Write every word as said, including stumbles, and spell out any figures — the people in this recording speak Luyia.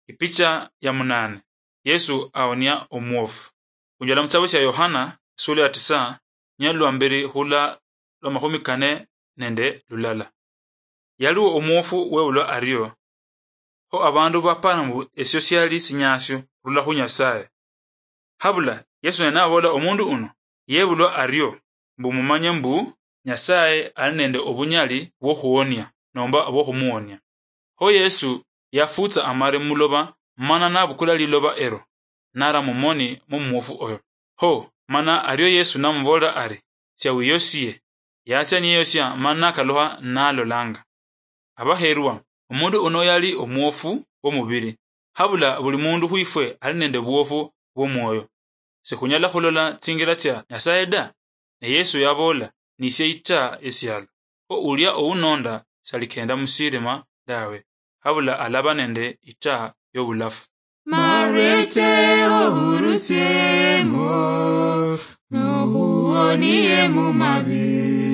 Ipicha ya munane. Yesu aonia omwofu. Khunyola muchitabu chia Yohana, isula ya tisa, nyalwa mbiri khula lwa makhumi kane nende lulala. Yaliwo omwofu webulwa ario, kho abandu bapara mbu esio siali sinyasio khurula khu Nyasaye. Habula Yesu naye nabola, omundu uno yebulwa ario mbu mumanye mbu Nyasaye ali nende obunyali bwokhuonia nomba bwokhumuonia. Kho Yesu yafutsa amare muloba, mana nabukula liloba ero, nara mumoni mumwofu oyo. Kho mana ario Yesu namubolera ari, tsia wiyosie. Yachia niyeyosia mana nakalukha nalolanga. Abaherwa, omundu uno yali omwofu womubiri. Habula buli mundu khwifwe ali nende bwofu bwomwoyo. Sikhunyala khulola tsingira tsia Nyasaye da. Ne Yesu yabola, nisie itaa yesialo. Kho ulia ounonda salikenda musirima dawe, habula alaba nende itaa yobulafu. Marete ohurusiemo, nohuonie mumabi.